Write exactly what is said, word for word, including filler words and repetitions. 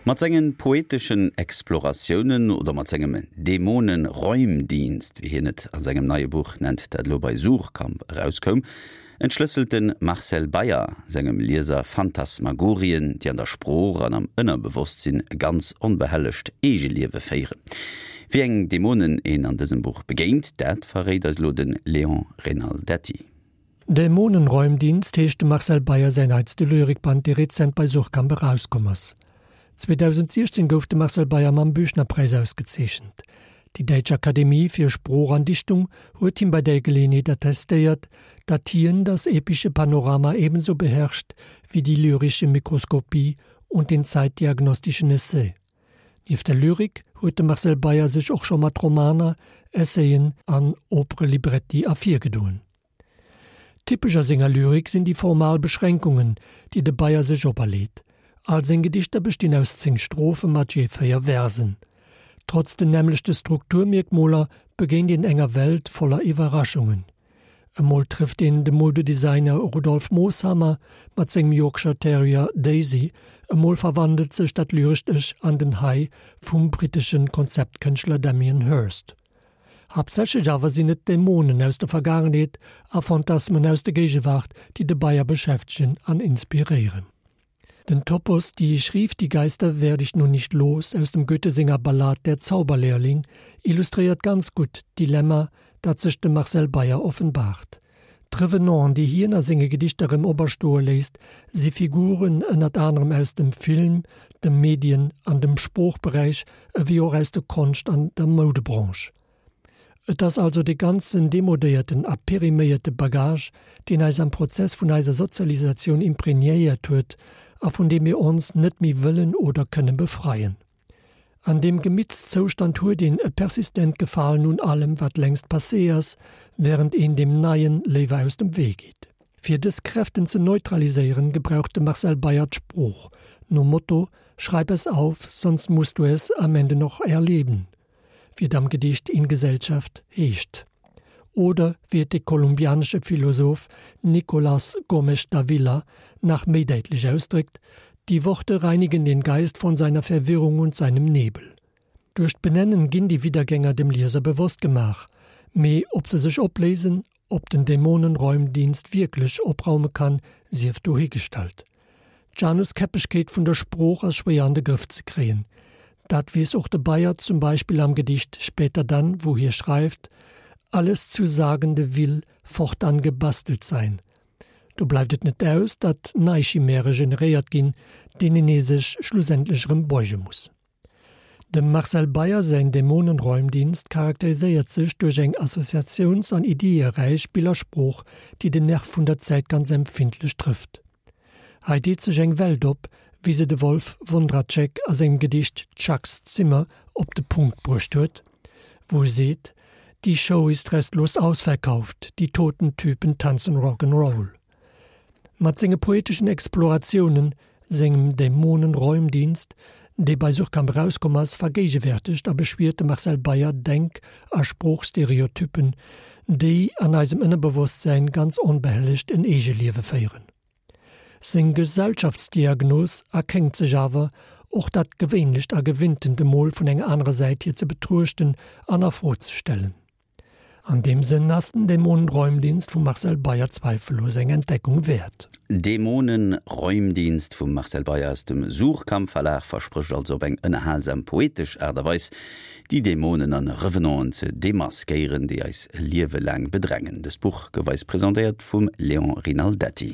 Mat sengen poeteschen Exploratiounen oder mat sengem Dämonenräumdienst, wéi hien et a sengem neie Buch nennt, dat elo bei Suhrkamp erauskoum, entschlësselt de Marcel Beyer sengem Lieser Phantasmagorien, déi an der Sprooch an am Ënnerbewosstsinn e ganz onbehellegt Eegeliewe féieren. Wéi eng Dämonen een an dësem Buch begéint, dat verréit eis elo de Léon Rinaldetti. Dämonenräumdienst heescht dem Marcel Beyer säin neitste Lyrikband, dee rezent bei Suhrkamp erauskomm ass. zweedausendsiechzehn gouf de Marcel Beyer mam Büchnerpreis ausgezeechent. Déi Däitsch Akademie fir Sprooch an Dichtung huet him bei där Geleeënheet attestéiert, datt hien das epische Panorama ebenso beherrscht wie die lyrische Mikroskopie und den zeitdiagnostischen Essay. Nieft der Lyrik huet de Marcel Beyer sech och scho mat Romaner, Essayen an Operelibretti ervirgedoen. Typesch a senger Lyrik sinn déi formal Beschränkungen, déi de Beyer sech operleet. All seng Gedichter bestinn aus zéng Strophe mat jee véier Versen. Trotz den nämmlechte Strukturmierkmoler begéint een enger Welt voller Iwwerraschungen. Emol trëfft een de Moudedesigner Rudolf Moshammer mat sengem Yorkshire Terrier Daisy, emol verwandelt sech dat lyrescht Ech an den Hai vum brittesche Konzeptkënschtler Damien Hirst. Haaptsächlech awer sinn et Dämonen aus der Vergaangenheet a Phantasmen aus der Géigewaart, déi de Beyer beschäftegen an inspiréieren. Den Topos Die ich rief, die Geister werde ich nun nicht los aus dem Goethe senger Ballad Der Zauberlehrling illustréiert ganz gutt d'Dilemma, dat sech dem Marcel Beyer offenbaart. D'Revenanten, déi hien a senge Gedichter erëm operstoe léisst, si Figuren ënnert anerem aus dem Film, dem Medien an dem Sproochberäich ewéi och aus der Konscht an der Moudebranche. Et ass also dee ganzen demodéierten a periméierte Bagage, deen eis am Prozess vun eiser Sozialisatioun impregnéiert huet a vun deem mir ons net méi wëllen oder kënne befreien. An deem Gemittszoustand huet een e persistent Gefalen un allem, wat längst passé ass, wärend een deem Neien léiwer aus dem Wee geet. Fir dës Kräften ze neutraliséieren, gebraucht de Marcel Beyer d'Sprooch, nom Motto Schreib es auf, sonst musst du es am Ende noch erleben, wéi et am Gedicht In Gesellschaft heescht. Oder wéi et de kolumbianesche Philosoph Nicolás Gómez Dávila nach méi däitlech ausdréckt, Die Worte reinigen den Geist von seiner Verwirrung und seinem Nebel. Duerch d'Benennen ginn déi Wiedergänger dem Lieser bewosst gemaach, mee ob se sech opléisen, ob den Dämonenräumdienst wierklech opraume kann, sief dohigestallt. D'Januskäppegkeet vun der Sprooch ass schwéier an de Grëff ze kréien. Dat weess och de Beyer zum Beispill am Gedicht Später dann, wou hie schreift, Alles zu Sagende will fortan gebastelt sein. Do bleift et net aus, datt nei Chimäre generéiert ginn, deenen ee sech schlussendlech erëm beuge muss. Dem Marcel Beyer säin Dämonenräumdienst charakteriséiert sech duerch eng assoziatiouns an iddieräich Billersprooch, déi den Nerv vun der Zäit ganz empfindlech trëfft. Hei deet sech eng Welt op, wéi se de Wolf Wondratschek a sengem Gedicht Chucks Zimmer op de Punkt bruecht huet, wou e seet, Die Show ist restlos ausverkauft, die toten Typen tanzen Rock 'n' Roll. Mat senge poeteschen Exploratiounen, sengem Dämonenräumdienst, dee bei Suhrkamp erauskomm ass, vergéigewäertegt a beschwiert de Marcel Beyer Denk a Sproochstereotyppen, déi an eisem Ënnerbewosstsän ganz onbehellegt en Eegeliewe féieren. Seng Gesellschaftsdiagnos erkenkt sech awer, och dat Gewéinlecht a Gewinntent emol vun enger anerer Säit hier ze betruechten an a Fro ze stellen. An deem Sënn ass den Dämonenräumdienst vum Marcel Beyer zweifellos eng Entdeckung wäert. Dämonenräumdienst vum Marcel Beyer aus dem Suhrkamp Verlag versprécht also op eng ënnerhalsam poetesch Aart a Weis déi Dämonen an Revenanten ze demaskéieren, déi eis e Liewe laang bedrängen. Dëst Buch gouf eis presentéiert vum Léon Rinaldetti.